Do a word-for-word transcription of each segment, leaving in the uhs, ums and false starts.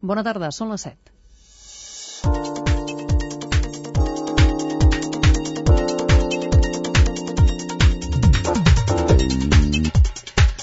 Bona tarda, són les set.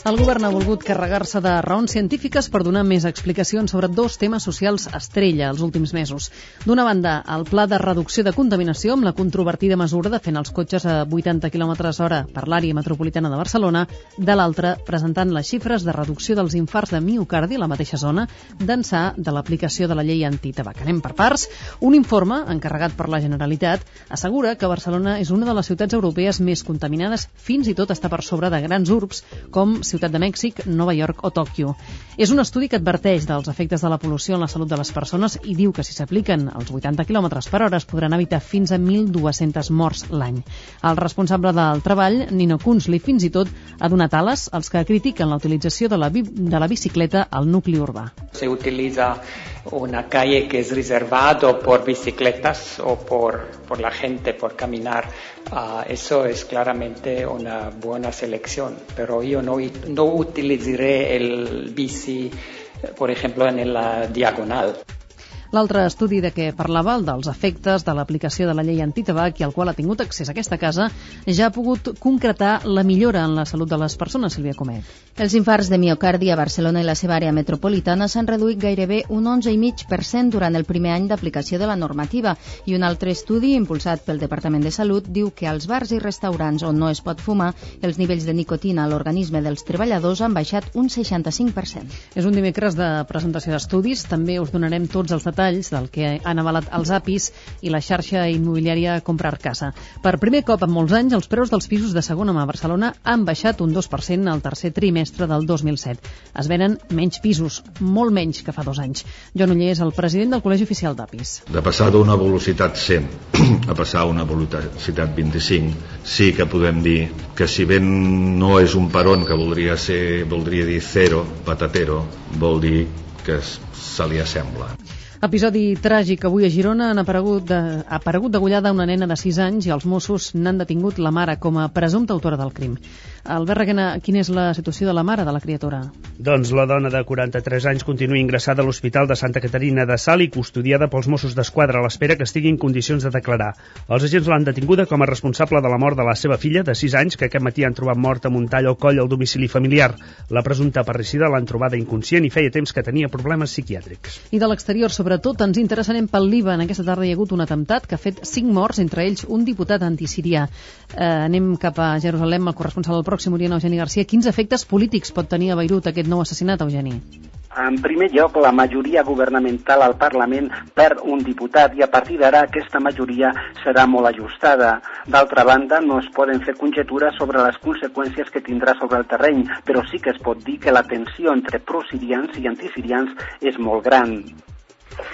El govern ha volgut carregar-se de raons científiques per donar més explicacions sobre dos temes socials estrella els últims mesos. D'una banda, el pla de reducció de contaminació amb la controvertida mesura de fer els cotxes a vuitanta quilòmetres hora per l'àrea metropolitana de Barcelona, de l'altra, presentant les xifres de reducció dels infarts de miocardi a la mateixa zona d'ençà de l'aplicació de la llei antitabac. Anem per parts. Un informe encarregat per la Generalitat assegura que Barcelona és una de les ciutats europees més contaminades, fins i tot està per sobre de grans urbs com Ciutat de Mèxic, Nova York o Tòquio. És un estudi que adverteix dels efectes de la pol·lució en la salut de les persones i diu que si s'apliquen els vuitanta quilòmetres per hora es podran evitar fins a mil dues-centes morts l'any. El responsable del treball, Nino Kunzli, fins i tot ha donat ales als que critiquen la utilització de la, bi de la bicicleta al nucli urbà. Se utiliza una calle que es reservado por bicicletas o por, por la gente, por caminar. Uh, eso es claramente una buena selección, pero yo no, no utilizaré el bici, por ejemplo, en la diagonal. L'altre estudi de què parlava, el dels efectes de l'aplicació de la llei antitabac i al qual ha tingut accés a aquesta casa, ja ha pogut concretar la millora en la salut de les persones, Sílvia Comet. Els infarts de miocardi a Barcelona i la seva àrea metropolitana s'han reduït gairebé un onze coma cinc per cent durant el primer any d'aplicació de la normativa i un altre estudi impulsat pel Departament de Salut diu que als bars i restaurants on no es pot fumar, els nivells de nicotina a l'organisme dels treballadors han baixat un seixanta-cinc per cent. És un dimecres de presentació d'estudis, també us donarem tots els detalls del que han avalat els A P Is i la xarxa immobiliària Comprar Casa. Per primer cop en molts anys, els preus dels pisos de segona mà a Barcelona han baixat un dos per cent al tercer trimestre del dos mil set. Es venen menys pisos, molt menys que fa dos anys. Joan Oller és el president del Col·legi Oficial d'A P Is. De passar d'una velocitat cent a passar a una velocitat vint-i-cinc, sí que podem dir que si ben no és un peron que voldria ser, voldria dir zero, patatero, vol dir que se li assembla. Episodi tràgic. Avui a Girona han aparegut, de, ha aparegut degollada una nena de sis anys i els Mossos n'han detingut la mare com a presumpta autora del crim. Albert Reguena, quina és la situació de la mare de la criatura? Doncs la dona de quaranta-tres anys continua ingressada a l'Hospital de Santa Caterina de Salt i custodiada pels Mossos d'Esquadra a l'espera que estigui en condicions de declarar. Els agents l'han detinguda com a responsable de la mort de la seva filla de sis anys que aquest matí han trobat morta amb un tall al coll al domicili familiar. La presumpta parricida l'han trobada inconscient i feia temps que tenia problemes psiquiàtrics. I de l'exterior, sobretot, ens interessarem pel Líban. Aquesta tarda hi ha hagut un atemptat que ha fet cinc morts, entre ells un diputat antisirià. Eh, anem cap a Jerusalem, el corresponsal del Pròxim Orient, Eugeni Garcia. Quins efectes polítics pot tenir a Beirut aquest nou assassinat, Eugeni? En primer lloc, la majoria governamental al Parlament perd un diputat i a partir d'ara aquesta majoria serà molt ajustada. D'altra banda, no es poden fer conjectures sobre les conseqüències que tindrà sobre el terreny, però sí que es pot dir que la tensió entre prosirians i antisirians és molt gran.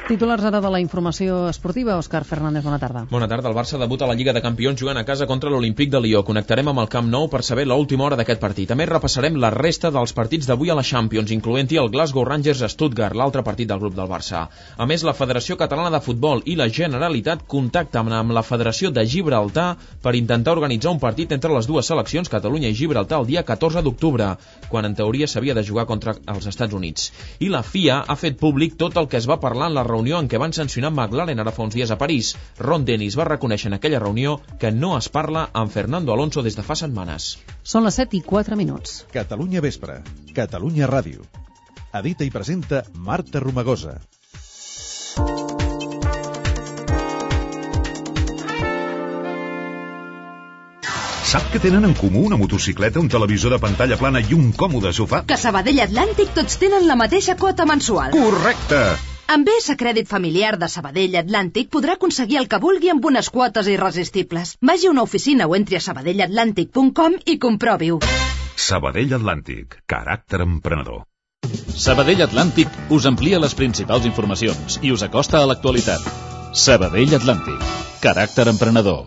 Titulars ara de la informació esportiva. Òscar Fernández, bona tarda. Bona tarda. El Barça debuta a la Lliga de Campions jugant a casa contra l'Olímpic de Lió. Connectarem amb el Camp Nou per saber l'última hora d'aquest partit. També repassarem la resta dels partits d'avui a la Champions, incloent-hi el Glasgow Rangers Stuttgart, l'altre partit del grup del Barça. A més, la Federació Catalana de Futbol i la Generalitat contacten amb la Federació de Gibraltar per intentar organitzar un partit entre les dues seleccions, Catalunya i Gibraltar, el dia catorze d'octubre, quan en teoria s'havia de jugar contra els Estats Units. I la F I A ha fet públic tot el que es va parlar en la reunió en què van sancionar McLaren ara fa uns dies a París. Ron Dennis va reconèixer en aquella reunió que no es parla amb Fernando Alonso des de fa setmanes. Són les set i quatre minuts. Catalunya Vespre, Catalunya Ràdio. Edita i presenta Marta Romagosa. Sap que tenen en comú una motocicleta, un televisor de pantalla plana i un còmode sofà? Que a Sabadell Atlàntic tots tenen la mateixa quota mensual. Correcte! Amb B S Crèdit Familiar de Sabadell Atlàntic podrà aconseguir el que vulgui amb unes quotes irresistibles. Vagi a una oficina o entri a sabadell atlàntic punt com i comprovi-ho. Sabadell Atlàntic, caràcter emprenedor. Sabadell Atlàntic us amplia les principals informacions i us acosta a l'actualitat. Sabadell Atlàntic, caràcter emprenedor.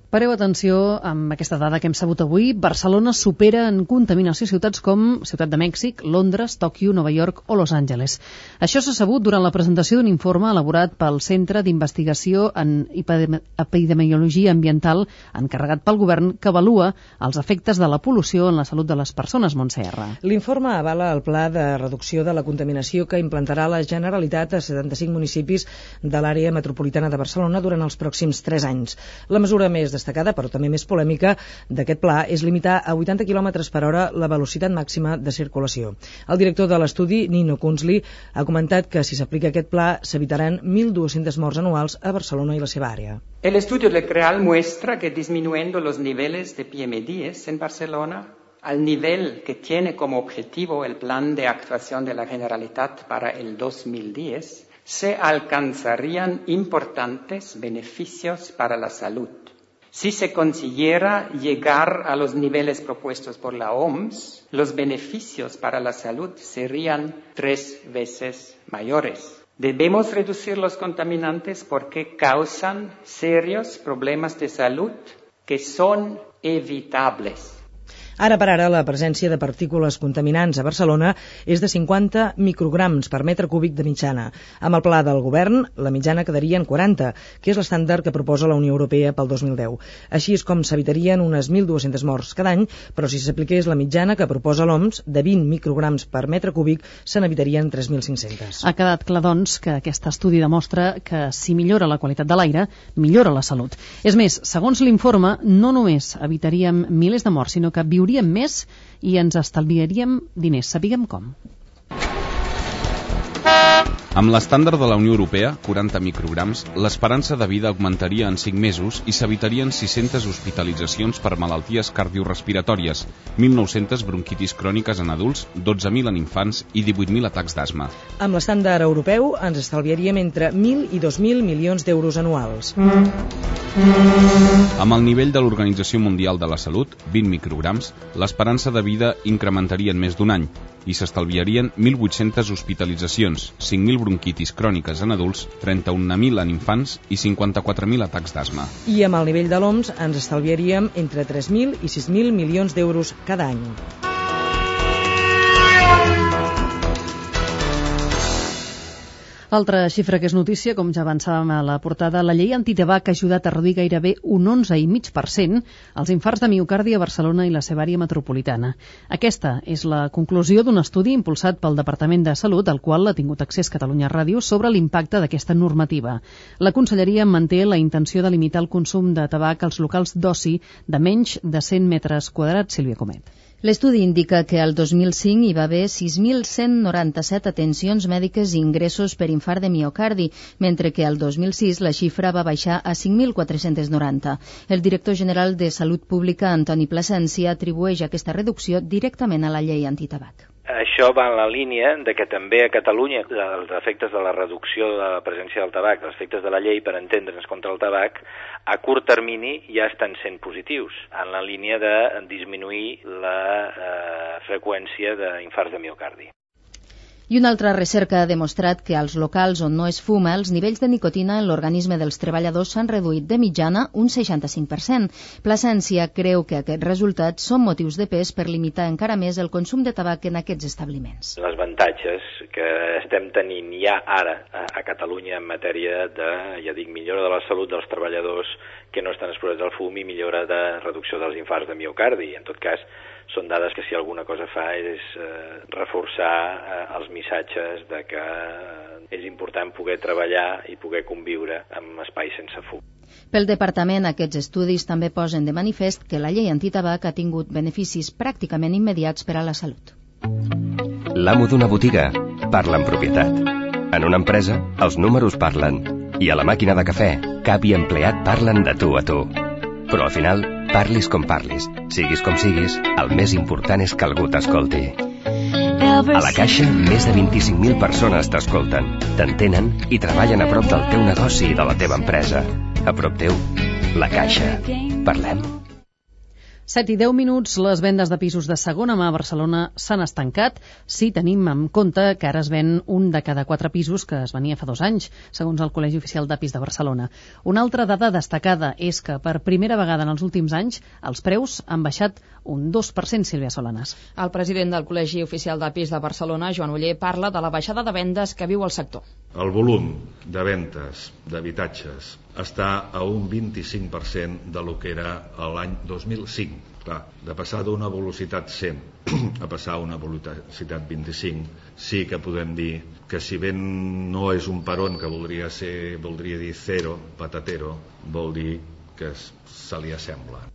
Pareu atenció amb aquesta dada que hem sabut avui. Barcelona supera en contaminació ciutats com Ciutat de Mèxic, Londres, Tòquio, Nova York o Los Angeles. Això s'ha sabut durant la presentació d'un informe elaborat pel Centre d'Investigació en Epidemiologia Ambiental encarregat pel govern que avalua els efectes de la pol·lució en la salut de les persones, Montse R. L'informe avala el pla de reducció de la contaminació que implantarà la Generalitat a setanta-cinc municipis de l'àrea metropolitana de Barcelona durant els pròxims tres anys. La mesura més destacada, però també més polèmica, d'aquest pla és limitar a vuitanta quilòmetres per hora la velocitat màxima de circulació. El director de l'estudi, Nino Kunzli, ha comentat que si s'aplica aquest pla s'evitaran mil dues-centes morts anuals a Barcelona i la seva àrea. El estudio del CREAL muestra que disminuyendo los niveles de P M diez en Barcelona al nivel que tiene como objetivo el plan de actuación de la Generalitat para el dos mil diez, se alcanzarían importantes beneficios para la salud. Si se consiguiera llegar a los niveles propuestos por la O M S, los beneficios para la salud serían tres veces mayores. Debemos reducir los contaminantes porque causan serios problemas de salud que son evitables. Ara per ara, la presència de partícules contaminants a Barcelona és de cinquanta micrograms per metre cúbic de mitjana. Amb el pla del govern, la mitjana quedaria en quaranta, que és l'estàndard que proposa la Unió Europea pel dos mil deu. Així és com s'evitarien unes mil dues-centes morts cada any, però si s'apliqués la mitjana que proposa l'O M S, de vint micrograms per metre cúbic, se n'evitarien tres mil cinc-cents. Ha quedat clar, doncs, que aquest estudi demostra que si millora la qualitat de l'aire, millora la salut. És més, segons l'informe, no només evitaríem milers de morts, sinó que viuríem més i ens estalviaríem diners. Sapiguem com. Amb l'estàndard de la Unió Europea, quaranta micrograms, l'esperança de vida augmentaria en cinc mesos i s'evitarien sis-centes hospitalitzacions per malalties cardiorespiratòries, mil nou-centes bronquitis cròniques en adults, dotze mil en infants i divuit mil atacs d'asma. Amb l'estàndard europeu ens estalviaríem entre mil i dos mil milions d'euros anuals. Amb el nivell de l'Organització Mundial de la Salut, vint micrograms, l'esperança de vida incrementaria en més d'un any i s'estalviarien mil vuit-centes hospitalitzacions, cinc mil bronquitis cròniques en adults, trenta-un mil en infants i cinquanta-quatre mil atacs d'asma. I amb el nivell de l'O M S ens estalviaríem entre tres mil i sis mil milions d'euros cada any. Altra xifra que és notícia, com ja avançàvem a la portada, la llei antitabac ha ajudat a reduir gairebé un onze coma cinc per cent els infarts de miocardi a Barcelona i la seva àrea metropolitana. Aquesta és la conclusió d'un estudi impulsat pel Departament de Salut, al qual ha tingut accés Catalunya Ràdio, sobre l'impacte d'aquesta normativa. La Conselleria manté la intenció de limitar el consum de tabac als locals d'oci de menys de cent metres quadrats. Sílvia Comet. L'estudi indica que al dos mil cinc hi va haver sis mil cent noranta-set atencions mèdiques i ingressos per infart de miocardi, mentre que al dos mil sis la xifra va baixar a cinc mil quatre-cents noranta. El director general de Salut Pública, Antoni Plasència, atribueix aquesta reducció directament a la llei antitabac. Això va en la línia de que també a Catalunya els efectes de la reducció de la presència del tabac, els efectes de la llei per entendre'ns contra el tabac, a curt termini ja estan sent positius, en la línia de disminuir la eh, freqüència d'infarts de miocardi. I una altra recerca ha demostrat que als locals on no es fuma, els nivells de nicotina en l'organisme dels treballadors s'han reduït de mitjana un seixanta-cinc per cent. Plasència creu que aquests resultats són motius de pes per limitar encara més el consum de tabac en aquests establiments. Les avantatges que estem tenint ja ara a Catalunya en matèria de, ja dic, millora de la salut dels treballadors que no estan exposats al fum i millora de reducció dels infarts de miocardi. En tot cas, són dades que si alguna cosa fa és eh, reforçar eh, els missatges de que eh, és important poder treballar i poder conviure amb espais sense fum. Pel departament, aquests estudis també posen de manifest que la llei antitabac ha tingut beneficis pràcticament immediats per a la salut. L'amo d'una botiga parla en propietat. En una empresa, els números parlen. I a la màquina de cafè, cap i empleat parlen de tu a tu. Però al final, parlis com parlis, siguis com siguis, el més important és que algú t'escolti. A la Caixa, més de vint-i-cinc mil persones t'escolten, t'entenen i treballen a prop del teu negoci i de la teva empresa. A prop teu, la Caixa. Parlem. set i deu minuts, les vendes de pisos de segona mà a Barcelona s'han estancat, si tenim en compte que ara es ven un de cada quatre pisos que es venia fa dos anys, segons el Col·legi Oficial d'Apis de Barcelona. Una altra dada destacada és que per primera vegada en els últims anys els preus han baixat un dos per cent, Sílvia Solanas. El president del Col·legi Oficial d'Apis de Barcelona, Joan Oller, parla de la baixada de vendes que viu el sector. El volum de ventes d'habitatges està a un vint-i-cinc per cent de lo que era l'any dos mil cinc. Clar, de passar d'una velocitat cent a passar a una velocitat vint-i-cinc, sí que podem dir que si bé no és un peron que voldria ser, voldria dir zero, patatero, vol dir que se li assembla.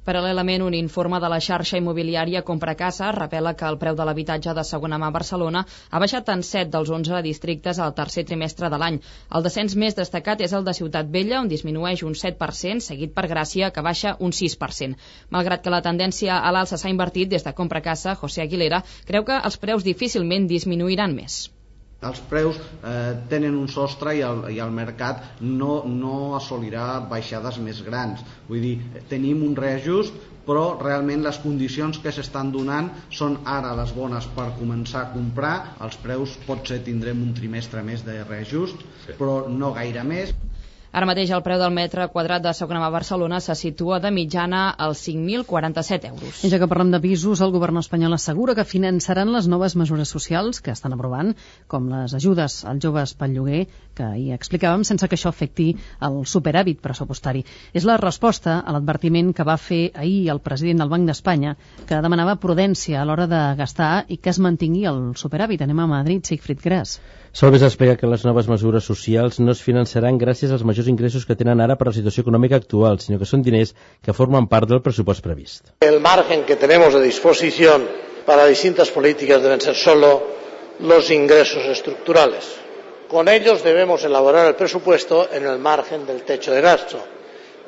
Paral·lelament, un informe de la xarxa immobiliària Compracasa revela que el preu de l'habitatge de segona mà a Barcelona ha baixat en set dels onze districtes al tercer trimestre de l'any. El descens més destacat és el de Ciutat Vella, on disminueix un set per cent, seguit per Gràcia, que baixa un sis per cent. Malgrat que la tendència a l'alça s'ha invertit, des de Compracasa, José Aguilera creu que els preus difícilment disminuiran més. Els preus eh, tenen un sostre i el, i el mercat no, no assolirà baixades més grans. Vull dir, tenim un reajust, però realment les condicions que s'estan donant són ara les bones per començar a comprar. Els preus potser tindrem un trimestre més de reajust, sí, però no gaire més. Ara mateix el preu del metre quadrat de segona mà a Barcelona se situa de mitjana als cinc mil quaranta-set euros. I ja que parlem de pisos, el govern espanyol assegura que finançaran les noves mesures socials que estan aprovant, com les ajudes als joves pel lloguer, que hi explicàvem, sense que això afecti el superàvit pressupostari. És la resposta a l'advertiment que va fer ahir el president del Banc d'Espanya, que demanava prudència a l'hora de gastar i que es mantingui el superàvit. Anem a Madrid, Sigfrid Gras. Solbes explica que les noves mesures socials no es finançaran gràcies als majors ingressos que tenen ara per la situació econòmica actual, sinó que són diners que formen part del pressupost previst. El margen que tenemos de disposición para distintas políticas deben ser solo los ingresos estructurales. Con ellos debemos elaborar el presupuesto en el margen del techo de gasto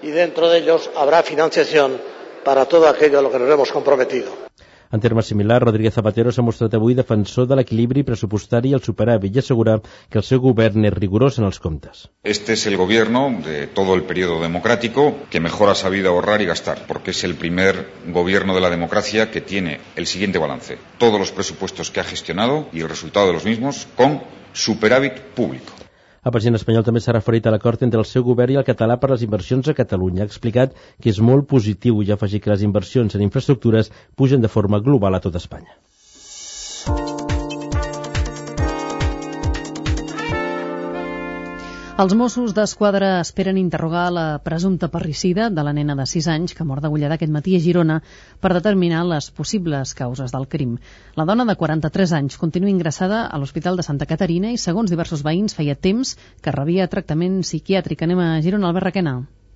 y dentro de ellos habrá financiación para todo aquello a lo que nos hemos comprometido. En termes similars, Rodríguez Zapatero s'ha mostrat avui defensor de l'equilibri pressupostari i el superàvit i assegura que el seu govern és rigorós en els comptes. Este es el gobierno de todo el periodo democrático que mejor ha sabido ahorrar y gastar, porque es el primer gobierno de la democracia que tiene el siguiente balance: todos los presupuestos que ha gestionado y el resultado de los mismos con superàvit público. El president espanyol també s'ha referit a l'acord entre el seu govern i el català per les inversions a Catalunya. Ha explicat que és molt positiu i ha afegit que les inversions en infraestructures pugen de forma global a tot Espanya. Els Mossos d'Esquadra esperen interrogar la presumpta parricida de la nena de sis anys que mor degollada aquest matí a Girona per determinar les possibles causes del crim. La dona de quaranta-tres anys continua ingressada a l'Hospital de Santa Caterina i, segons diversos veïns, feia temps que rebia tractament psiquiàtric. Anem a Girona, Albert Requena.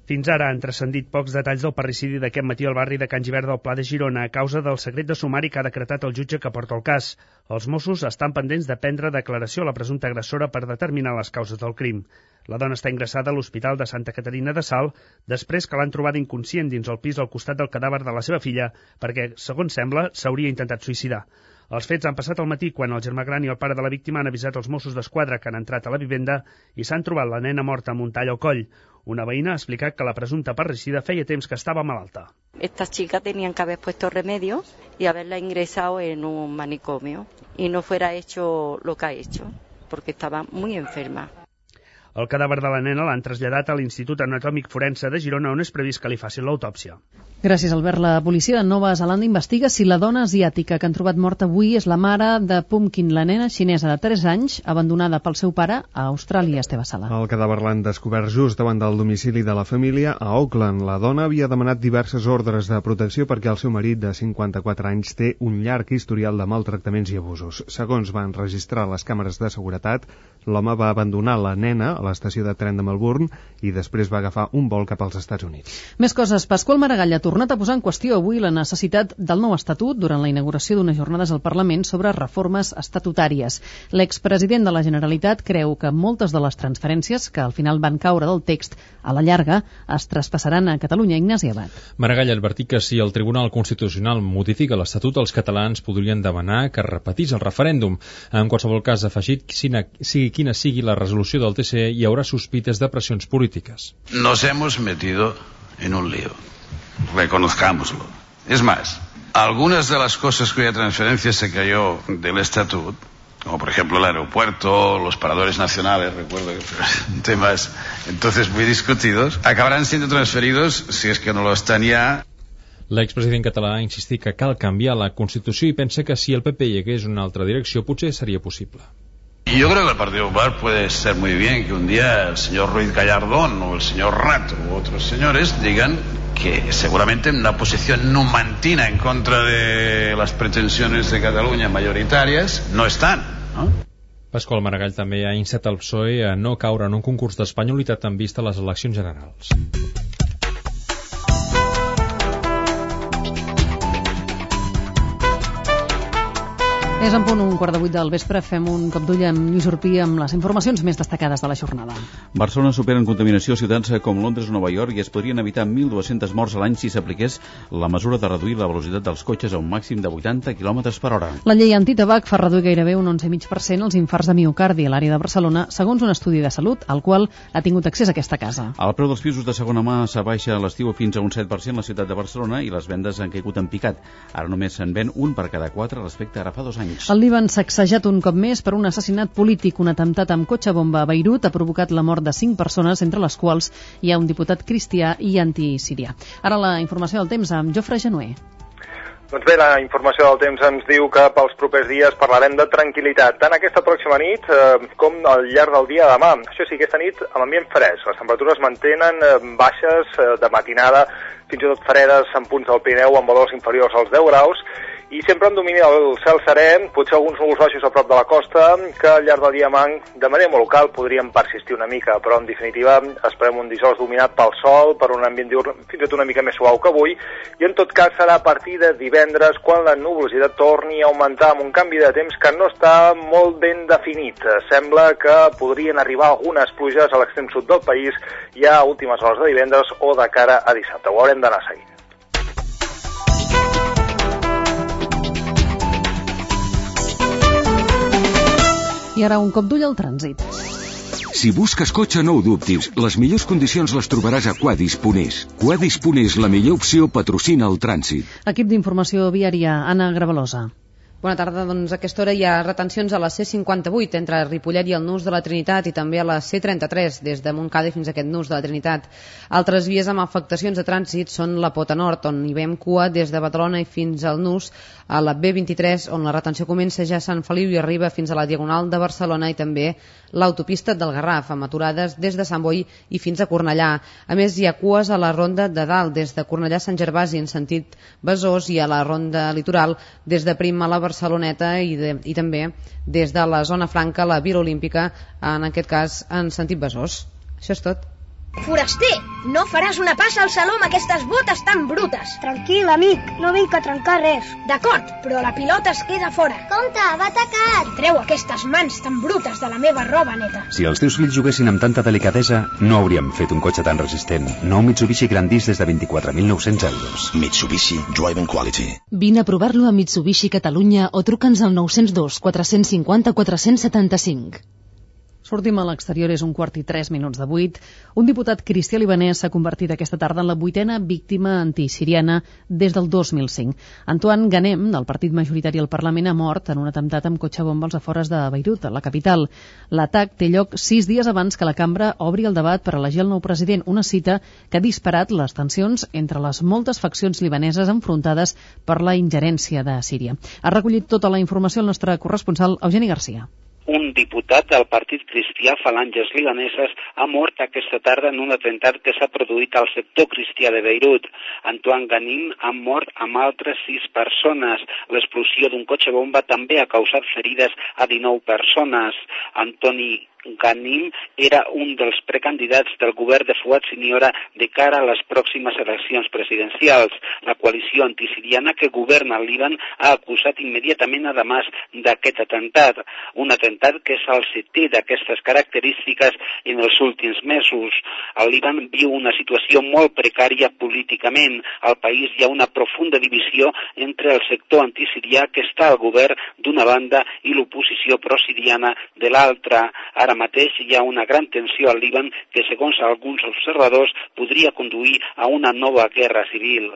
Fins ara han transcendit pocs detalls del parricidi d'aquest matí al barri de Can Givert del Pla de Girona a causa del secret de sumari que ha decretat el jutge que porta el cas. Els Mossos estan pendents de prendre declaració a la presumpta agressora per determinar les causes del crim. La dona està ingressada a l'Hospital de Santa Caterina de Salt després que l'han trobada inconscient dins el pis al costat del cadàver de la seva filla perquè, segons sembla, s'hauria intentat suïcidar. Els fets han passat al matí quan el germà gran i el pare de la víctima han avisat els Mossos d'Esquadra que han entrat a la vivenda i s'han trobat la nena morta amb un tall al coll. Una veïna ha explicat que la presumpta parricida feia temps que estava malalta. Estas chicas tenían que haber puesto remedio y haberla ingresado en un manicomio y no fuera hecho lo que ha hecho, porque estaba muy enferma. El cadàver de la nena l'han traslladat a l'Institut Anatòmic Forense de Girona, on és previst que li facin l'autòpsia. Gràcies, Albert. La policia de Nova Zelanda investiga si la dona asiàtica que han trobat morta avui és la mare de Pumpkin, la nena xinesa de tres anys, abandonada pel seu pare a Austràlia, Esteve Sala. El cadàver l'han descobert just davant del domicili de la família a Auckland. La dona havia demanat diverses ordres de protecció perquè el seu marit, de cinquanta-quatre anys, té un llarg historial de maltractaments i abusos. Segons van registrar les càmeres de seguretat, l'home va abandonar la nena a l'estació de tren de Melbourne i després va agafar un vol cap als Estats Units. Més coses. Pasqual Maragall ha tornat a posar en qüestió avui la necessitat del nou estatut durant la inauguració d'unes jornades al Parlament sobre reformes estatutàries. L'expresident de la Generalitat creu que moltes de les transferències que al final van caure del text a la llarga es traspassaran a Catalunya. Ignasi Abad. Maragall ha advertit que si el Tribunal Constitucional modifica l'Estatut, els catalans podrien demanar que es repetís el referèndum. En qualsevol cas, ha afegit que sigui quina sigui la resolució del T C E, hi haurà sospites de pressions polítiques. Nos hemos metido en un lío, reconozcámoslo. Es más, algunas de las cosas cuya transferencia se cayó del estatut, como por ejemplo el aeropuerto, los paradores nacionales, recuerdo que temas entonces muy discutidos, acabarán siendo transferidos, si es que no lo están ya. L'expresident català ha insistit que cal canviar la Constitució i pensa que si el P P hi hagués una altra direcció potser seria possible. Y yo creo que el Partido Popular puede ser muy bien que un día el señor Ruiz Gallardón o el señor Rato u otros señores digan que seguramente en una posición numantina en contra de las pretensiones de Cataluña mayoritarias no están, ¿no? Pasqual Maragall també ha instat el P S O E a no caure en un concurs d'espanyolitat en vista a les eleccions generals. És en punt un quart de vuit del vespre. Fem un cop d'ull amb Lluís Urpí amb les informacions més destacades de la jornada. Barcelona supera en contaminació ciutats com Londres o Nova York i es podrien evitar mil dues-centes morts a l'any si s'apliqués la mesura de reduir la velocitat dels cotxes a un màxim de vuitanta quilòmetres per hora. La llei antitabac fa reduir gairebé un onze coma cinc per cent els infarts de miocardi a l'àrea de Barcelona, segons un estudi de salut al qual ha tingut accés aquesta casa. El preu dels pisos de segona mà s'abaixa a l'estiu fins a un set per cent a la ciutat de Barcelona i les vendes han caigut en picat. Ara només se'n ven un per cada quatre respecte a ara fa dos anys. El Líban sacsejat un cop més per un assassinat polític. Un atemptat amb cotxe bomba a Beirut ha provocat la mort de cinc persones, entre les quals hi ha un diputat cristià i antisirià. Ara la informació del temps amb Jofre Genuer. Doncs bé, la informació del temps ens diu que pels propers dies parlarem de tranquil·litat, tant aquesta pròxima nit eh, com al llarg del dia de demà. Això sí, aquesta nit amb ambient fresc. Les temperatures mantenen eh, baixes eh, de matinada, fins i tot fredes en punts del Pirineu amb valors inferiors als deu graus, i sempre en domini del cel serè, potser alguns núvols baixos a prop de la costa, que al llarg del dia de manera molt local podrien persistir una mica, però en definitiva esperem un dijous dominat pel sol, per un ambient diurn fins i tot una mica més suau que avui, i en tot cas serà a partir de divendres quan la nuvolositat torni a augmentar amb un canvi de temps que no està molt ben definit. Sembla que podrien arribar algunes pluges a l'extrem sud del país ja a últimes hores de divendres o de cara a dissabte. Ho haurem d'anar seguint. I ara un cop d'ull al trànsit. Si busques cotxe, no ho dubtis. Les millors condicions les trobaràs a Quadis punt es. Quadis punt es, la millor opció, patrocina el trànsit. Equip d'informació viària, Anna Gravalosa. Bona tarda, doncs a aquesta hora hi ha retencions a la C cinquanta-vuit entre Ripollet i el Nus de la Trinitat i també a la C trenta-tres des de Montcada fins a aquest Nus de la Trinitat. Altres vies amb afectacions de trànsit són la Pota Nord, on hi veiem cua des de Badalona i fins al Nus, a la B vint-i-tres, on la retenció comença ja a Sant Feliu i arriba fins a la Diagonal de Barcelona, i també l'autopista del Garraf, amb aturades des de Sant Boi i fins a Cornellà. A més, hi ha cues a la Ronda de Dalt, des de Cornellà a Sant Gervasi en sentit Besòs, i a la Ronda Litoral des de Prim a la Barceloneta i, de, i també des de la zona franca a la Vila Olímpica, en aquest cas en sentit Besòs. Això és tot. Foraster, no faràs una passa al saló amb aquestes botes tan brutes. Tranquil, amic, no vinc a trencar res. D'acord, però la pilota es queda fora. Compte, va atacat. Treu aquestes mans tan brutes de la meva roba neta. Si els teus fills juguessin amb tanta delicadesa, no hauríem fet un cotxe tan resistent. Nou Mitsubishi Grandis des de vint-i-quatre mil nou-cents euros. Mitsubishi Driving Quality. Vine a provar-lo a Mitsubishi Catalunya o truca'ns al nou zero dos quatre cinc zero quatre set cinc. Sortim a l'exterior, és un quart i tres minuts de vuit. Un diputat cristià libanès s'ha convertit aquesta tarda en la vuitena víctima antisiriana des del dos mil cinc. Antoine Ghanem, del partit majoritari al Parlament, ha mort en un atemptat amb cotxe bomba als afores de Beirut, a la capital. L'atac té lloc sis dies abans que la cambra obri el debat per elegir el nou president, una cita que ha disparat les tensions entre les moltes faccions libaneses enfrontades per la ingerència de Síria. Ha recollit tota la informació el nostre corresponsal Eugeni Garcia. Un diputat del Partit Cristià Falanges Libaneses ha mort aquesta tarda en un atemptat que s'ha produït al sector cristià de Beirut. Antoine Ghanem ha mort amb altres sis persones. L'explosió d'un cotxe bomba també ha causat ferides a dinou persones. Antoni Ghanem era un dels precandidats del govern de Fuad Siniora de cara a les pròximes eleccions presidencials. La coalició antisiriana que governa el Líban ha acusat immediatament a Damas d'aquest atemptat, un atemptat que és el setè d'aquestes característiques en els últims mesos. El Líban viu una situació molt precària políticament. Al país hi ha una profunda divisió entre el sector antisirià que està al govern d'una banda i l'oposició prosiriana de l'altra. Ara mateix hi ha una gran tensió al Líban que, segons alguns observadors, podria conduir a una nova guerra civil.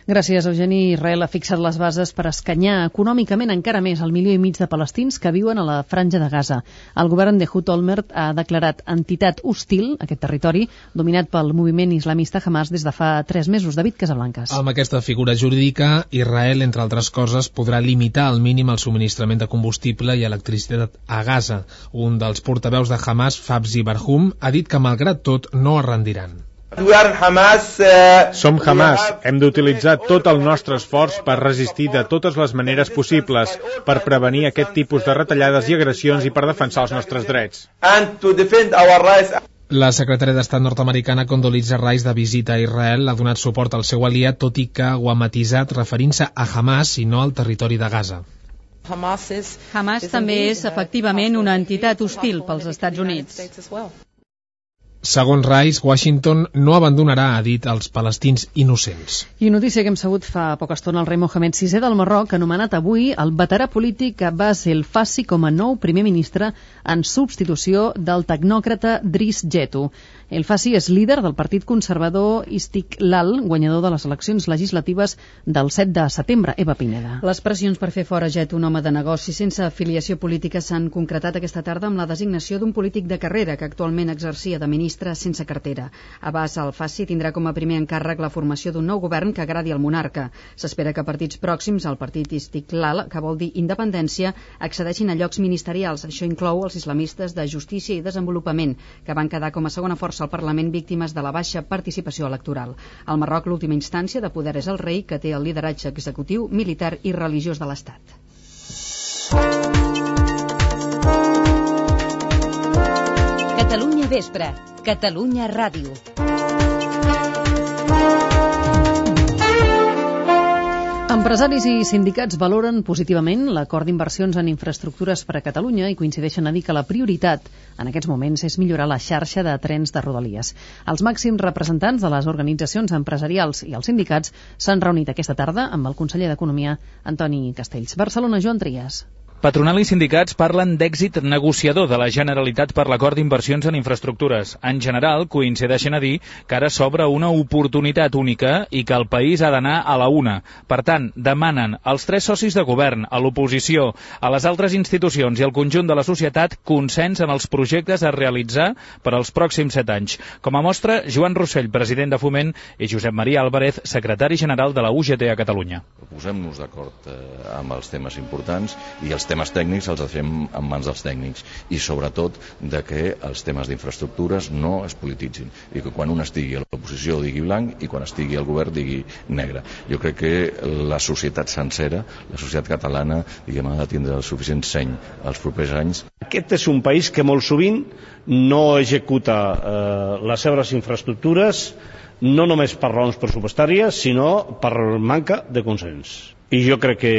Gràcies, Eugeni. Israel ha fixat les bases per escanyar econòmicament encara més el milió i mig de palestins que viuen a la franja de Gaza. El govern d'Ehud Olmert ha declarat entitat hostil aquest territori, dominat pel moviment islamista Hamas des de fa tres mesos. David Casablancas. Amb aquesta figura jurídica, Israel, entre altres coses, podrà limitar al mínim el subministrament de combustible i electricitat a Gaza. Un dels portaveus de Hamas, Fabzi Barhum, ha dit que, malgrat tot, no es rendiran. Som Hamas. Hem d'utilitzar tot el nostre esforç per resistir de totes les maneres possibles, per prevenir aquest tipus de retallades i agressions i per defensar els nostres drets. La secretària d'Estat nord-americana Condoleezza Rice, de visita a Israel, ha donat suport al seu aliat, tot i que ho ha matisat referint-se a Hamas i no al territori de Gaza. Hamas també és efectivament una entitat hostil pels Estats Units. Segons Rice, Washington no abandonarà, ha dit, els palestins innocents. I notícia que hem sabut fa poca estona, el rei Mohamed sisè del Marroc ha anomenat avui el veterà polític Abbas El Fassi com a nou primer ministre en substitució del tecnòcrata Driss Jettu. El Fassi és líder del partit conservador Istiqlal, guanyador de les eleccions legislatives del set de setembre. Eva Pineda. Les pressions per fer fora Jettu, un home de negoci sense afiliació política, s'han concretat aquesta tarda amb la designació d'un polític de carrera que actualment exercia de ministre sense cartera. Abbas El Fassi tindrà com a primer encàrrec la formació d'un nou govern que agradi al monarca. S'espera que partits pròxims al partit Istiqlal, que vol dir independència, accedeixin a llocs ministerials. Això inclou els islamistes de Justícia i Desenvolupament, que van quedar com a segona força al Parlament víctimes de la baixa participació electoral. Al Marroc, l'última instància de poder és el rei, que té el lideratge executiu, militar i religiós de l'Estat. Catalunya Vespre, Catalunya Ràdio. Empresaris i sindicats valoren positivament l'acord d'inversions en infraestructures per a Catalunya i coincideixen a dir que la prioritat en aquests moments és millorar la xarxa de trens de Rodalies. Els màxims representants de les organitzacions empresarials i els sindicats s'han reunit aquesta tarda amb el conseller d'Economia, Antoni Castells. Barcelona, Joan Trias. Patronal i sindicats parlen d'èxit negociador de la Generalitat per l'acord d'inversions en infraestructures. En general, coincideixen a dir que ara s'obre una oportunitat única i que el país ha d'anar a la una. Per tant, demanen als tres socis de govern, a l'oposició, a les altres institucions i al conjunt de la societat consens en els projectes a realitzar per als pròxims set anys. Com a mostra, Joan Rossell, president de Foment, i Josep Maria Álvarez, secretari general de la U G T a Catalunya. Posem-nos d'acord eh, amb els temes importants i els temes tècnics els fem en mans dels tècnics i sobretot de que els temes d'infraestructures no es polititzin i que quan un estigui a l'oposició digui blanc i quan estigui al govern digui negre. Jo crec que la societat sencera, la societat catalana, diguem, ha de tindre el suficient seny els propers anys. Aquest és un país que molt sovint no executa eh, les seves infraestructures no només per raons pressupostàries, sinó per manca de consens. I jo crec que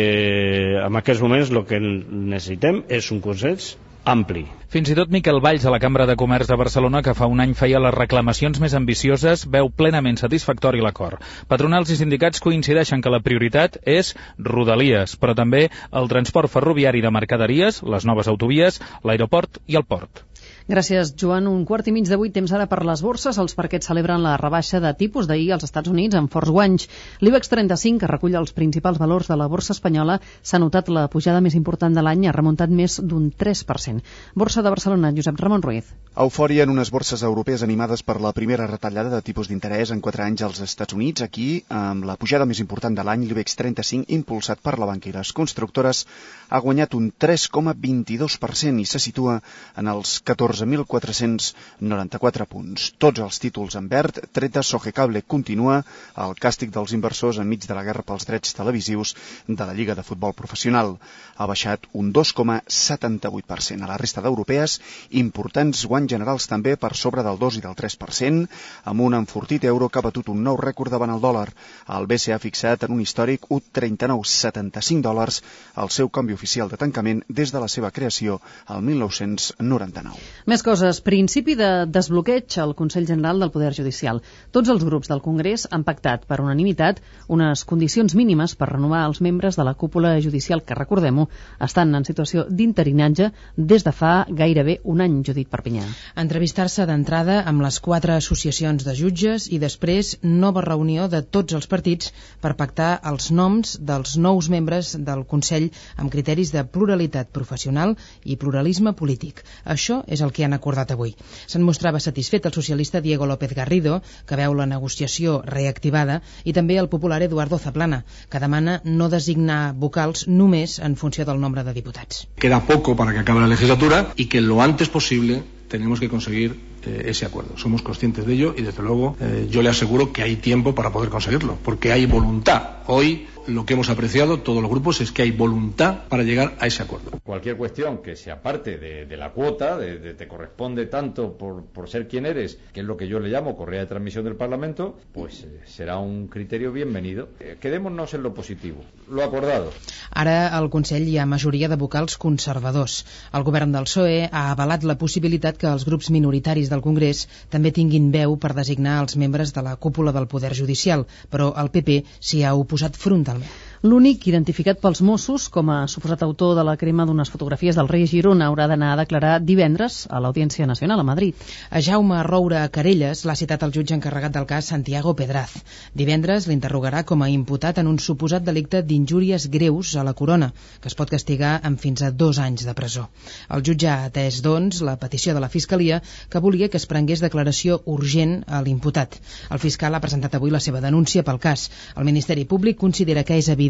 en aquests moments el que necessitem és un consens ampli. Fins i tot Miquel Valls, a la Cambra de Comerç de Barcelona, que fa un any feia les reclamacions més ambicioses, veu plenament satisfactori l'acord. Patronals i sindicats coincideixen que la prioritat és Rodalies, però també el transport ferroviari de mercaderies, les noves autovies, l'aeroport i el port. Gràcies, Joan. Un quart i mig de vuit, temps ara per les borses. Els parquets celebren la rebaixa de tipus d'ahir als Estats Units amb forts guanys. L'IBEX trenta-cinc, que recull els principals valors de la borsa espanyola, s'ha notat la pujada més important de l'any, ha remuntat més d'un tres per cent. Borsa de Barcelona, Josep Ramon Ruiz. Eufòria en unes borses europees animades per la primera retallada de tipus d'interès en quatre anys als Estats Units. Aquí, amb la pujada més important de l'any, l'IBEX trenta-cinc, impulsat per la banca i les constructores, ha guanyat un tres coma vint-i-dos per cent i se situa en els catorze mil quatre-cents noranta-quatre punts. Tots els títols en verd, tret de Sogecable continua el càstig dels inversors enmig de la guerra pels drets televisius de la Lliga de Futbol Professional. Ha baixat un dos coma setanta-vuit per cent. A la resta d'europees, importants guanys generals també per sobre del dos i del tres per cent, amb un enfortit euro que ha batut un nou rècord davant el dòlar. El B C E ha fixat en un històric un coma trenta-nou setanta-cinc dòlars el seu canvi oficial de tancament des de la seva creació al mil nou-cents noranta-nou. Més coses. Principi de desbloqueig al Consell General del Poder Judicial. Tots els grups del Congrés han pactat per unanimitat unes condicions mínimes per renovar els membres de la cúpula judicial que, recordem-ho, estan en situació d'interinatge des de fa gairebé un any, Judit Perpinyà. Entrevistar-se d'entrada amb les quatre associacions de jutges i després nova reunió de tots els partits per pactar els noms dels nous membres del Consell amb criteris de pluralitat professional i pluralisme polític. Això és el que han acordat avui. Se'n mostrava satisfet el socialista Diego López Garrido, que veu la negociació reactivada, i també el popular Eduardo Zaplana, que demana no designar vocals només en funció del nombre de diputats. Queda poco para que acabe la legislatura y que lo antes posible tenemos que conseguir eh, ese acuerdo. Somos conscientes de ello y desde luego eh, yo le aseguro que hay tiempo para poder conseguirlo, porque hay voluntad. Hoy lo que hemos apreciado todos los grupos es que hay voluntad para llegar a ese acuerdo. Cualquier cuestión que se aparte de, de la cuota, de, de te corresponde tanto por, por ser quien eres, que es lo que yo le llamo correa de transmisión del Parlamento, pues eh, será un criterio bienvenido. Eh, quedémonos en lo positivo, lo acordado. Ara al Consell hi ha majoria de vocals conservadors. El govern del P S O E ha avalat la possibilitat que els grups minoritaris del Congrés també tinguin veu per designar els membres de la cúpula del Poder Judicial, però el P P s'hi ha oposat frontalment. L'únic identificat pels Mossos com a suposat autor de la crema d'unes fotografies del rei Girona haurà d'anar a declarar divendres a l'Audiència Nacional a Madrid. A Jaume Roura Carelles l'ha citat el jutge encarregat del cas Santiago Pedraz. Divendres l'interrogarà com a imputat en un suposat delicte d'injúries greus a la corona, que es pot castigar amb fins a dos anys de presó. El jutge ha atès, doncs, la petició de la Fiscalia, que volia que es prengués declaració urgent a l'imputat. El fiscal ha presentat avui la seva denúncia pel cas. El Ministeri Públic considera que és evident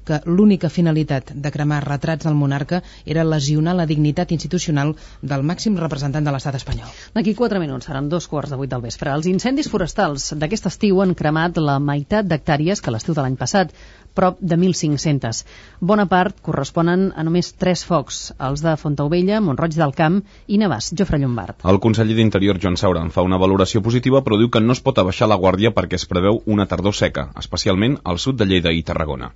que l'única finalitat de cremar retrats del monarca era lesionar la dignitat institucional del màxim representant de l'estat espanyol. D'aquí quatre minuts seran dos quarts de vuit del vespre. Els incendis forestals d'aquest estiu han cremat la meitat d'hectàrees que l'estiu de l'any passat, prop de mil cinc-cents. Bona part corresponen a només tres focs, els de Fontaubella, Mont-roig del Camp i Navàs. Jofre Llombard. El conseller d'Interior, Joan Saura, en fa una valoració positiva, però diu que no es pot abaixar la guàrdia perquè es preveu una tardor seca, especialment al sud de Lleida i Tarragona.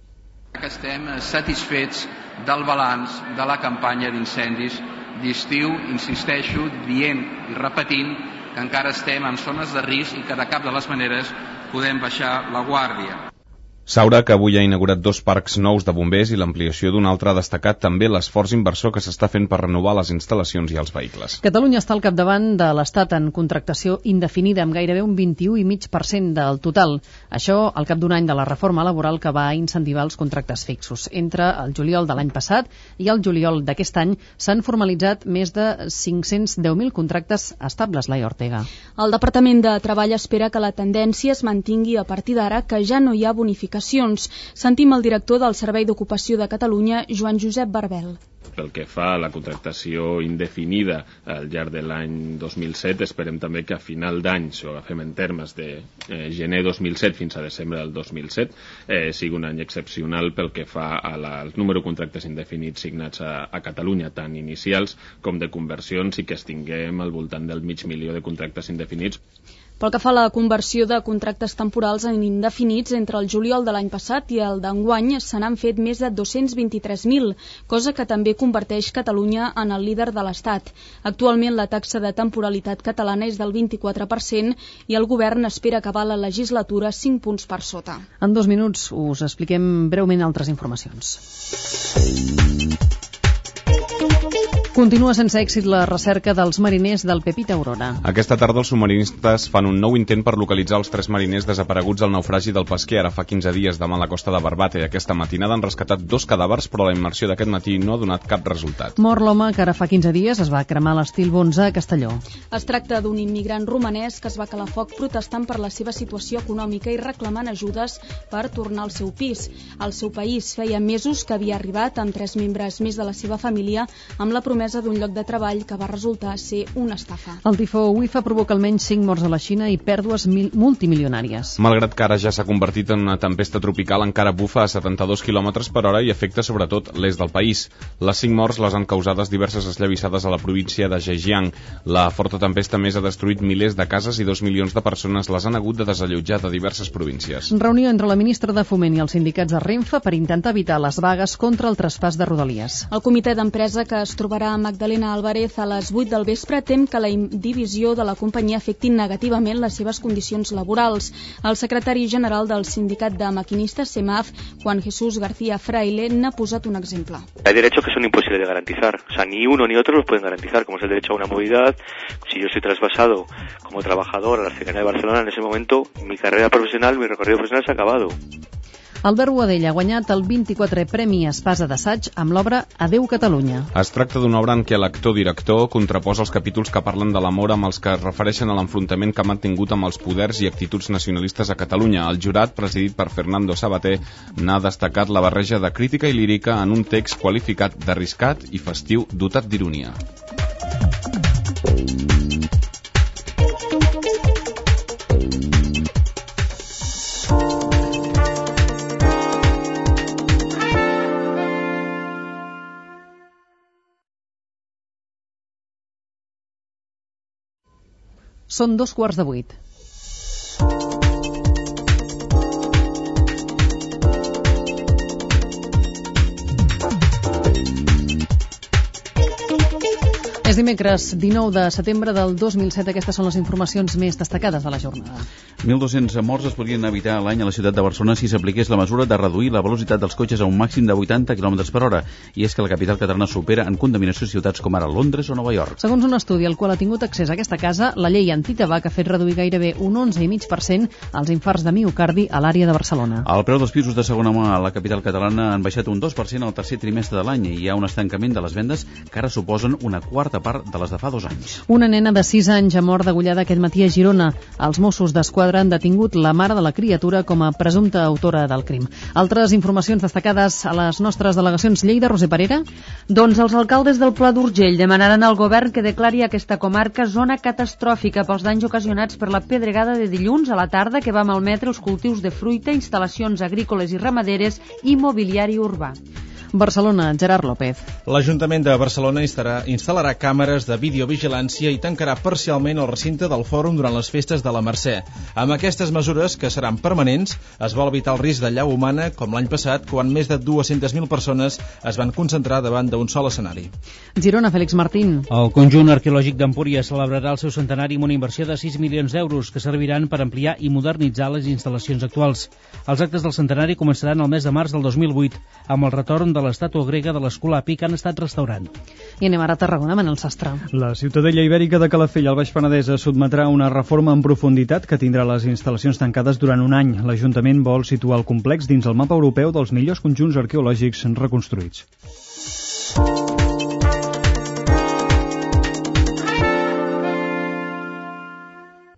Que estem satisfets del balanç de la campanya d'incendis d'estiu, insisteixo, dient i repetint que encara estem en zones de risc i que de cap de les maneres podem baixar la guàrdia. Saura, que avui ha inaugurat dos parcs nous de bombers i l'ampliació d'un altre, ha destacat també l'esforç inversor que s'està fent per renovar les instal·lacions i els vehicles. Catalunya està al capdavant de l'Estat en contractació indefinida, amb gairebé un vint-i-u coma cinc per cent del total. Això al cap d'un any de la reforma laboral que va incentivar els contractes fixos. Entre el juliol de l'any passat i el juliol d'aquest any s'han formalitzat més de cinc-cents deu mil contractes estables, Laia Ortega. El Departament de Treball espera que la tendència es mantingui a partir d'ara, que ja no hi ha bonificació. Sentim el director del Servei d'Ocupació de Catalunya, Joan Josep Barbel. Pel que fa a la contractació indefinida al llarg de l'any dos mil set, esperem també que a final d'any, si ho agafem en termes de eh, gener dos mil set fins a desembre del dos mil set, eh, sigui un any excepcional pel que fa a la, al número de contractes indefinits signats a, a Catalunya, tant inicials com de conversions, i que estiguem al voltant del mig milió de contractes indefinits. Pel que fa a la conversió de contractes temporals en indefinits, entre el juliol de l'any passat i el d'enguany se n'han fet més de dos-cents vint-i-tres mil, cosa que també converteix Catalunya en el líder de l'Estat. Actualment la taxa de temporalitat catalana és del vint-i-quatre per cent i el govern espera acabar la legislatura cinc punts per sota. En dos minuts us expliquem breument altres informacions. Continua sense èxit la recerca dels mariners del Pepita Aurora. Aquesta tarda els submarinistes fan un nou intent per localitzar els tres mariners desapareguts al naufragi del Pesquer ara fa quinze dies davant la costa de Barbate. Aquesta matinada han rescatat dos cadàvers, però la immersió d'aquest matí no ha donat cap resultat. Mor l'home que ara fa quinze dies es va cremar a l'estil Bonza a Castelló. Es tracta d'un immigrant romanès que es va calar foc protestant per la seva situació econòmica i reclamant ajudes per tornar al seu pis. Al seu país feia mesos que havia arribat amb tres membres més de la seva família amb la promesa d'un lloc de treball que va resultar ser una estafa. El tifó Wifa provoca almenys cinc morts a la Xina i pèrdues mil multimilionàries. Malgrat que ara ja s'ha convertit en una tempesta tropical, encara bufa a setanta-dos quilòmetres per hora i afecta sobretot l'est del país. Les cinc morts les han causades diverses esllavissades a la província de Zhejiang. La forta tempesta més ha destruït milers de cases i dos milions de persones les han hagut de desallotjar de diverses províncies. Reunió entre la ministra de Foment i els sindicats de Renfe per intentar evitar les vagues contra el traspàs de Rodalies. El comitè d'empresa que es trobarà Magdalena Álvarez, a les vuit del vespre, tem que la divisió de la companyia afecti negativament les seves condicions laborals. El secretari general del sindicat de maquinistes SEMAF, Juan Jesús García Fraile, n'ha posat un exemple. Hay derechos que son imposibles de garantizar, o sea, ni uno ni otro los pueden garantizar, como es el derecho a una movilidad. Si yo soy trasvasado como trabajador a la cercanía de Barcelona, en ese momento mi carrera profesional, mi recorrido profesional s'ha acabado. Albert Boadell ha guanyat el vint-i-quatrè Premi Espasa d'Assaig amb l'obra Adeu Catalunya. Es tracta d'una obra en què l'actor-director contraposa els capítols que parlen de l'amor amb els que es refereixen a l'enfrontament que ha mantingut amb els poders i actituds nacionalistes a Catalunya. El jurat, presidit per Fernando Sabater, n'ha destacat la barreja de crítica i lírica en un text qualificat d'arriscat i festiu dotat d'ironia. Són dos quarts de vuit. És dimecres dinou de setembre del dos mil set. Aquestes són les informacions més destacades de la jornada. mil dos-cents morts es podrien evitar a l'any a la ciutat de Barcelona si s'apliqués la mesura de reduir la velocitat dels cotxes a un màxim de vuitanta quilòmetres per hora. I és que la capital catalana supera en contaminació ciutats com ara Londres o Nova York. Segons un estudi al qual ha tingut accés a aquesta casa, la llei antitabac ha fet reduir gairebé un onze coma cinc per cent els infarts de miocardi a l'àrea de Barcelona. El preu dels pisos de segona mà a la capital catalana han baixat un dos per cent al tercer trimestre de l'any i hi ha un estancament de les vendes que ara suposen una quarta part de les de fa dos anys. Una nena de sis anys ha mort degollada aquest matí a Girona. Els Mossos d'Esquadra han detingut la mare de la criatura com a presumpta autora del crim. Altres informacions destacades a les nostres delegacions. Lleida, Roser Parera? Doncs els alcaldes del Pla d'Urgell demanaran al govern que declari aquesta comarca zona catastròfica pels danys ocasionats per la pedregada de dilluns a la tarda que va malmetre els cultius de fruita, instal·lacions agrícoles i ramaderes i mobiliari urbà. Barcelona, Gerard López. L'Ajuntament de Barcelona instal·larà, instal·larà càmeres de videovigilància i tancarà parcialment el recinte del fòrum durant les festes de la Mercè. Amb aquestes mesures, que seran permanents, es vol evitar el risc de llau humana, com l'any passat, quan més de dues-centes mil persones es van concentrar davant d'un sol escenari. Girona, Félix Martín. El conjunt arqueològic d'Empúries celebrarà el seu centenari amb una inversió de sis milions d'euros que serviran per ampliar i modernitzar les instal·lacions actuals. Els actes del centenari començaran el mes de març del dos mil vuit, amb el retorn de l'estàtua grega de l'Escolapi que han estat restaurant. I anem ara a Tarragona, Manel Sastre. La Ciutadella Ibèrica de Calafell, al Baix Penedès, sotmetrà una reforma en profunditat que tindrà les instal·lacions tancades durant un any. L'Ajuntament vol situar el complex dins el mapa europeu dels millors conjunts arqueològics reconstruïts.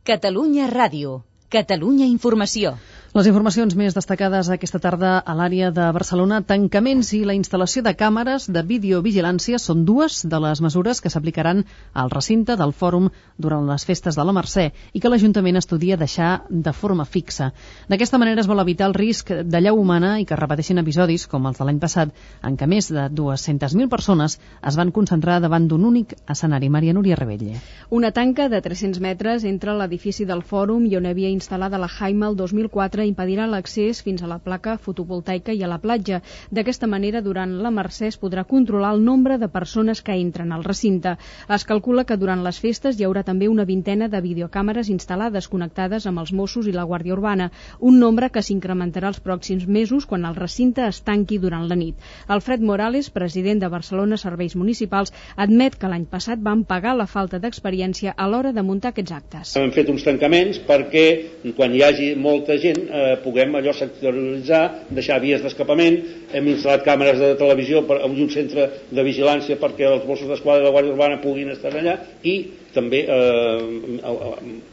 Catalunya Ràdio. Catalunya Informació. Les informacions més destacades aquesta tarda a l'àrea de Barcelona. Tancaments i la instal·lació de càmeres de videovigilància són dues de les mesures que s'aplicaran al recinte del fòrum durant les festes de la Mercè i que l'Ajuntament estudia deixar de forma fixa. D'aquesta manera es vol evitar el risc de llau humana i que es repeteixin episodis, com els de l'any passat, en què més de dues-centes mil persones es van concentrar davant d'un únic escenari. Maria Núria Rebelle. Una tanca de tres-cents metres entre l'edifici del fòrum i on havia instal·lada la Jaima el dos mil quatre impedirà l'accés fins a la placa fotovoltaica i a la platja. D'aquesta manera, durant la Mercè es podrà controlar el nombre de persones que entren al recinte. Es calcula que durant les festes hi haurà també una vintena de videocàmeres instal·lades connectades amb els Mossos i la Guàrdia Urbana, un nombre que s'incrementarà els pròxims mesos quan el recinte es tanqui durant la nit. Alfred Morales, president de Barcelona Serveis Municipals, admet que l'any passat van pagar la falta d'experiència a l'hora de muntar aquests actes. Hem fet uns tancaments perquè quan hi hagi molta gent eh, puguem allò sectoritzar, deixar vies d'escapament. Hem instal·lat càmeres de televisió per, i un centre de vigilància perquè els Mossos d'Esquadra i la Guàrdia Urbana puguin estar allà i també eh,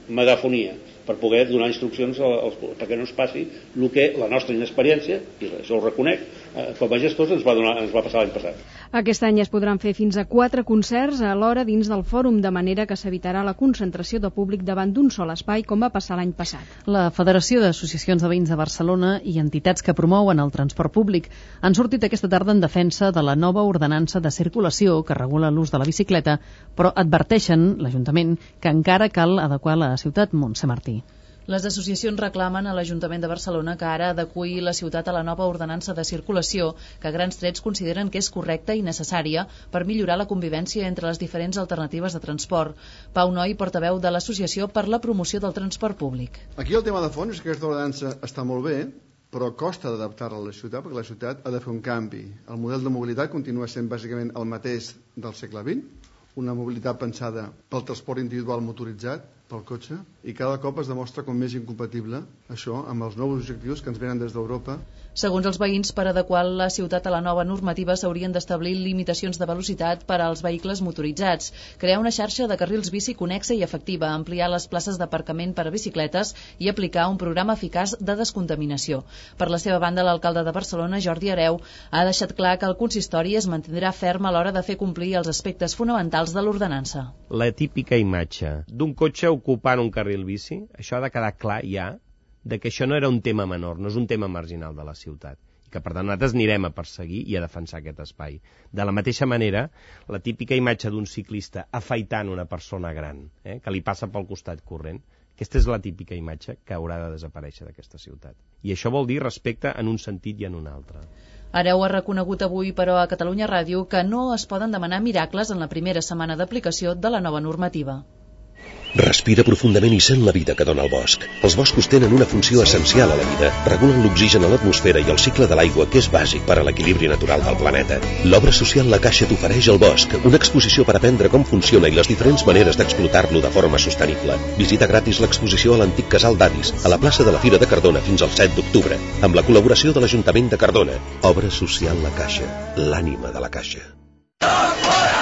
megafonia per poder donar instruccions als, perquè no es passi el que la nostra inexperiència, i això ho reconec, eh, com a gestors ens va, donar, ens va passar l'any passat. Aquest any es podran fer fins a quatre concerts alhora dins del fòrum, de manera que s'evitarà la concentració de públic davant d'un sol espai, com va passar l'any passat. La Federació d'Associacions de Veïns de Barcelona i entitats que promouen el transport públic han sortit aquesta tarda en defensa de la nova ordenança de circulació que regula l'ús de la bicicleta, però adverteixen, l'Ajuntament, que encara cal adequar la ciutat. Montse Martí. Les associacions reclamen a l'Ajuntament de Barcelona que ara adeqüi la ciutat a la nova ordenança de circulació, que a grans trets consideren que és correcta i necessària per millorar la convivència entre les diferents alternatives de transport. Pau Noi, portaveu de l'Associació per la Promoció del Transport Públic. Aquí el tema de fons és que aquesta ordenança està molt bé, però costa d'adaptar-la a la ciutat, perquè la ciutat ha de fer un canvi. El model de mobilitat continua sent bàsicament el mateix del segle vint, una mobilitat pensada pel transport individual motoritzat, pel cotxe, i cada cop es demostra com més incompatible això amb els nous objectius que ens venen des d'Europa. Segons els veïns, per adequar la ciutat a la nova normativa s'haurien d'establir limitacions de velocitat per als vehicles motoritzats, crear una xarxa de carrils bici connexa i efectiva, ampliar les places d'aparcament per a bicicletes i aplicar un programa eficaç de descontaminació. Per la seva banda, l'alcalde de Barcelona, Jordi Hereu, ha deixat clar que el consistori es mantindrà ferm a l'hora de fer complir els aspectes fonamentals de l'ordenança. La típica imatge d'un cotxe ocupant un carril bici, això ha de quedar clar ja, de que això no era un tema menor, no és un tema marginal de la ciutat, i que per tant nosaltres anirem a perseguir i a defensar aquest espai. De la mateixa manera, la típica imatge d'un ciclista afaitant una persona gran, eh, que li passa pel costat corrent, aquesta és la típica imatge que haurà de desaparèixer d'aquesta ciutat. I això vol dir respecte en un sentit i en un altre. Hereu ha reconegut avui, però, a Catalunya Ràdio que no es poden demanar miracles en la primera setmana d'aplicació de la nova normativa. Respira profundament i sent la vida que dona el bosc. Els boscos tenen una funció essencial a la vida. Regulen l'oxigen a l'atmosfera i el cicle de l'aigua, que és bàsic per a l'equilibri natural del planeta. L'obra social La Caixa t'ofereix el bosc, una exposició per aprendre com funciona i les diferents maneres d'explotar-lo de forma sostenible. Visita gratis l'exposició a l'antic casal d'Avis, a la plaça de la Fira de Cardona fins al set d'octubre, amb la col·laboració de l'Ajuntament de Cardona. Obra social La Caixa, l'ànima de la Caixa.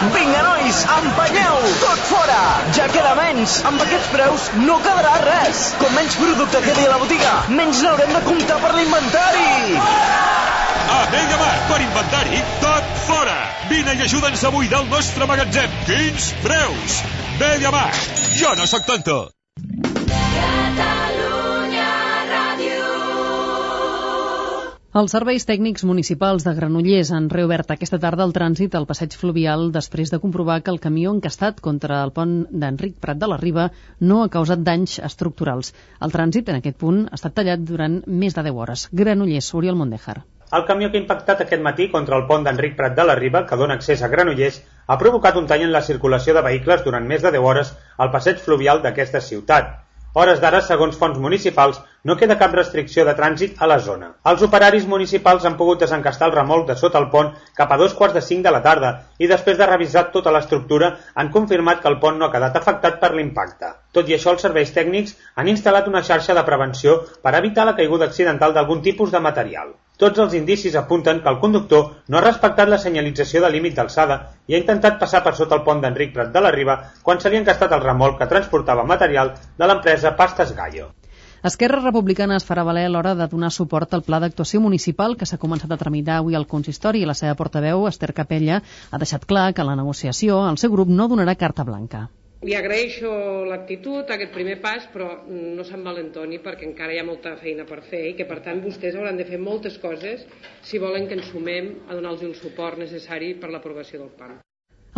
Vinga, nois, empenyeu! Tot fora! Ja queda menys! Amb aquests preus no quedarà res! Com menys producte quedi a la botiga, menys n'haurem de comptar per l'inventari! A Mediamar, per inventari, tot fora! Vine i ajuda'ns a buidar el nostre magatzem! Quins preus! Mediamar, jo no sóc tonto! Els serveis tècnics municipals de Granollers han reobert aquesta tarda el trànsit al passeig fluvial després de comprovar que el camió encastat contra el pont d'Enric Prat de la Riba no ha causat danys estructurals. El trànsit en aquest punt ha estat tallat durant més de deu hores. Granollers, Oriol Mondejar. El camió que ha impactat aquest matí contra el pont d'Enric Prat de la Riba, que dona accés a Granollers, ha provocat un tall en la circulació de vehicles durant més de deu hores al passeig fluvial d'aquesta ciutat. Hores d'ara, segons fonts municipals, no queda cap restricció de trànsit a la zona. Els operaris municipals han pogut desencastar el remolc de sota el pont cap a dos quarts de cinc de la tarda i després de revisar tota l'estructura han confirmat que el pont no ha quedat afectat per l'impacte. Tot i això, els serveis tècnics han instal·lat una xarxa de prevenció per evitar la caiguda accidental d'algun tipus de material. Tots els indicis apunten que el conductor no ha respectat la senyalització de límit d'alçada i ha intentat passar per sota el pont d'Enric Prat de la Riba quan se li ha encastat el remolc que transportava material de l'empresa Pastas Gallo. Esquerra Republicana es farà valer a l'hora de donar suport al pla d'actuació municipal que s'ha començat a tramitar avui al consistori i la seva portaveu, Esther Capella, ha deixat clar que en la negociació el seu grup no donarà carta blanca. Li agraeixo l'actitud, aquest primer pas, però no s'envalentoni perquè encara hi ha molta feina per fer i que per tant vostès hauran de fer moltes coses si volen que ens sumem a donar-los el suport necessari per l'aprovació del P A M.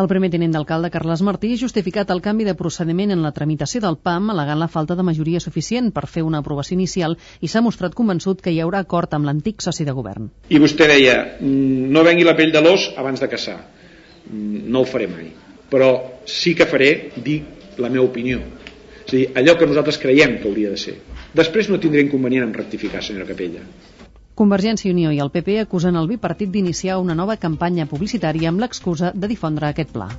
El primer tinent d'alcalde, Carles Martí, ha justificat el canvi de procediment en la tramitació del P A M al·legant la falta de majoria suficient per fer una aprovació inicial i s'ha mostrat convençut que hi haurà acord amb l'antic soci de govern. I vostè deia, no vengui la pell de l'os abans de caçar. No ho faré mai. Però sí que faré dir la meva opinió. És a dir, allò que nosaltres creiem que hauria de ser. Després no tindré inconvenient en rectificar, senyora Capella. Convergència i Unió i el P P acusen el bipartit d'iniciar una nova campanya publicitària amb l'excusa de difondre aquest pla.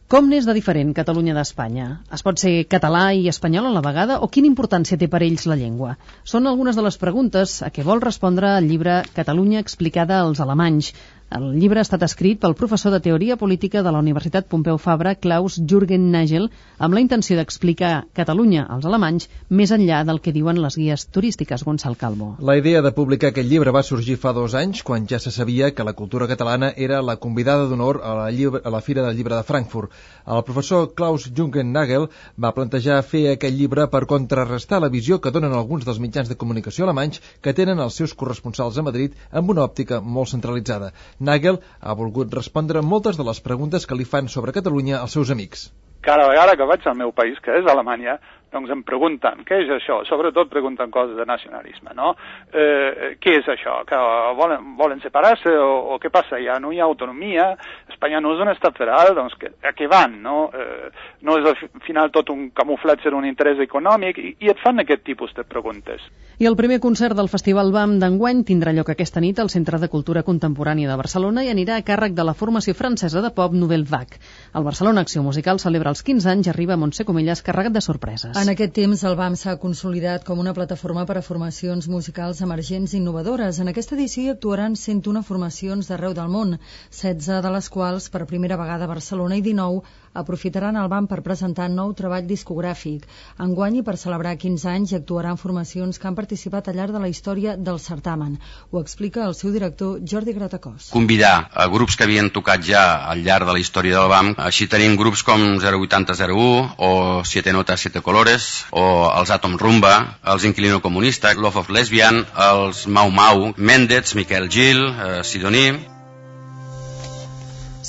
Com n'és de diferent Catalunya d'Espanya? Es pot ser català i espanyol a la vegada o quina importància té per ells la llengua? Són algunes de les preguntes a què vol respondre el llibre Catalunya explicada als alemanys. El llibre ha estat escrit pel professor de Teoria Política de la Universitat Pompeu Fabra, Klaus Jürgen Nagel, amb la intenció d'explicar Catalunya als alemanys més enllà del que diuen les guies turístiques. Gonçal Calvo. La idea de publicar aquest llibre va sorgir fa dos anys, quan ja se sabia que la cultura catalana era la convidada d'honor a, la llibre, a la Fira del Llibre de Frankfurt. El professor Klaus Jürgen Nagel va plantejar fer aquest llibre per contrarrestar la visió que donen alguns dels mitjans de comunicació alemanys que tenen els seus corresponsals a Madrid amb una òptica molt centralitzada. Nagel ha volgut respondre moltes de les preguntes que li fan sobre Catalunya als seus amics. Cada vegada que vaig al meu país, que és Alemanya, doncs em pregunten, què és això? Sobretot pregunten coses de nacionalisme, no? Eh, què és això? Que volen, volen separar-se o, o què passa? Ja no hi ha autonomia, Espanya no és un estat federal, doncs que, a què van, no? Eh, no és al final tot un camuflatge d'un interès econòmic i, i et fan aquest tipus de preguntes. I el primer concert del Festival B A M d'enguany tindrà lloc aquesta nit al Centre de Cultura Contemporània de Barcelona i anirà a càrrec de la formació francesa de pop Nouvelle Vague. El Barcelona Acció Musical celebra els quinze anys i arriba a Montse Comelles carregat de sorpreses. En aquest temps, el B A M s'ha consolidat com una plataforma per a formacions musicals emergents i innovadores. En aquesta edició actuaran cent una formacions d'arreu del món, setze de les quals per primera vegada a Barcelona i dinou aprofitaran el B A M per presentar nou treball discogràfic. Enguany, i per celebrar quinze anys, hi actuaran formacions que han participat al llarg de la història del certamen. Ho explica el seu director, Jordi Gratacós. Convidar a grups que havien tocat ja al llarg de la història del B A M. Així tenim grups com zero vuitanta zero u o Siete Notas, Siete Colores o els Atom Rumba, els Inquilino Comunista, Love of Lesbian, els Mau Mau, Mendez, Miquel Gil, eh, Sidoní.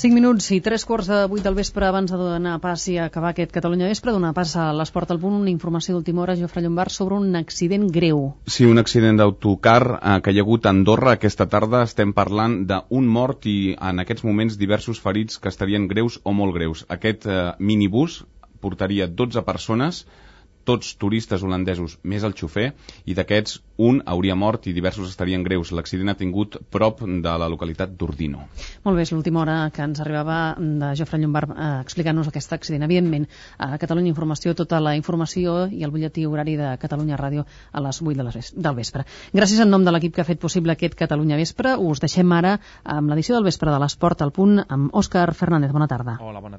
cinc minuts i tres quarts de vuit del vespre abans de donar pas i acabar aquest Catalunya Vespre, donar pas a l'Esport al Punt, una informació d'última hora, Jofre Llombard, sobre un accident greu. Sí, un accident d'autocar eh, que hi ha hagut a Andorra aquesta tarda. Estem parlant d'un mort i en aquests moments diversos ferits que estarien greus o molt greus. Aquest eh, minibús portaria dotze persones, tots turistes holandesos més el xofer, i d'aquests un hauria mort i diversos estarien greus. L'accident ha tingut prop de la localitat d'Ordino. Molt bé, és l'última hora que ens arribava de Jofre Llombard eh, explicant-nos aquest accident. Evidentment, a Catalunya Informació, tota la informació i el butlletí horari de Catalunya Ràdio a les vuit del vespre. Gràcies en nom de l'equip que ha fet possible aquest Catalunya Vespre. Us deixem ara amb l'edició del vespre de l'Esport al Punt amb Òscar Fernández. Bona tarda. Hola, bona tarda.